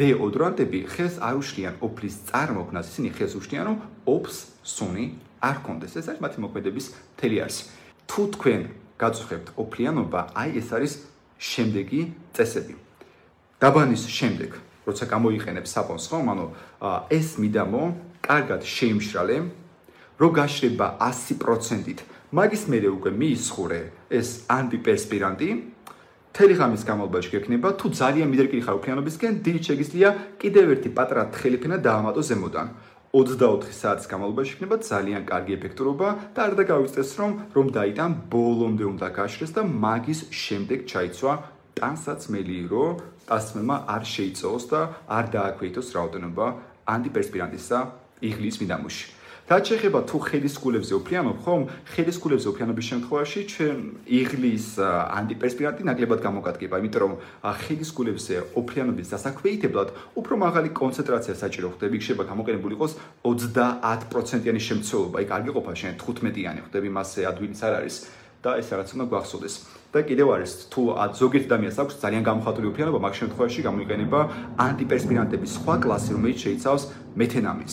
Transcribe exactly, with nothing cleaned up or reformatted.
დეოდორანტები ხელს არ უშლიან ოფლის წარმოქმნას, ისინი ხელს უშლიან, რომ ოფს სუნი არ კონდეს. ეს არის მათი მოქმედების მთელი არსი. თუ თქვენ გაწუხებთ ოფლიანობა, აი ეს არის შემდეგი წესები. დაბანის შემდეგ, როცა გამოიყენებ საბონს, ხომ, ანუ ეს მიდამო კარგად შეიმშრალე, რო გაშრება ასი პროცენტით, მაგის მერე უკვე მიისხურე ეს ანტიპერსპირანტი, მთელი ღამის განმავლობაში გექნება, თუ ძალიან მიდრეკილი ხარ ოფლიანობისკენ, დილით შეგიძლია კიდევ ერთი პატარა თხელი ფენა დაამატო ზემოდან. ოცდაოთხი საათის განმავლობაში იქნება ძალიან კარგი ეფექტურობა და არ დაგავიწყდეს რომ რომ დაიტან ბოლომდე უნდა გაშრეს და მაგის შემდეგ ჩაიცვა ტანსაცმელი, რომ ტანსაცმელმა არ შეიწოვოს და არ დააქვეითოს რაოდენობა ანტიპერსპირანტისა იღლის მიდამოში. რაც შეეხება თუ ხელისგულებზე ოფლიანობ, ხომ, ხელისგულებზე ოფლიანობის შემთხვევაში ჩვენ იღლის ანტიპერსპირანტი ნაკლებად გამოგადგება, იმიტომ რომ ხელისგულებზე ოფლიანობის დასაქვეითებლად უფრო მაღალი კონცენტრაცია საჭირო ხდება, იქ შეიძლება გამოყენებული იყოს ოცდაათ პროცენტიანი შემცველობა, იქ არ გიყოფა შენ თხუთმეტიანი ხდები, მასე ადვილიც არ არის და ეს რაღაც უნდა გვახსოვდეს. და კიდევ არის, თუ ზოგიერთ ადამიანს აქვს ძალიან გამოხატული ოფლიანობა, მაგ შემთხვევაში გამოიყენება ანტიპერსპირანტების სხვა კლასი, რომელიც შეიცავს მეთენამინს.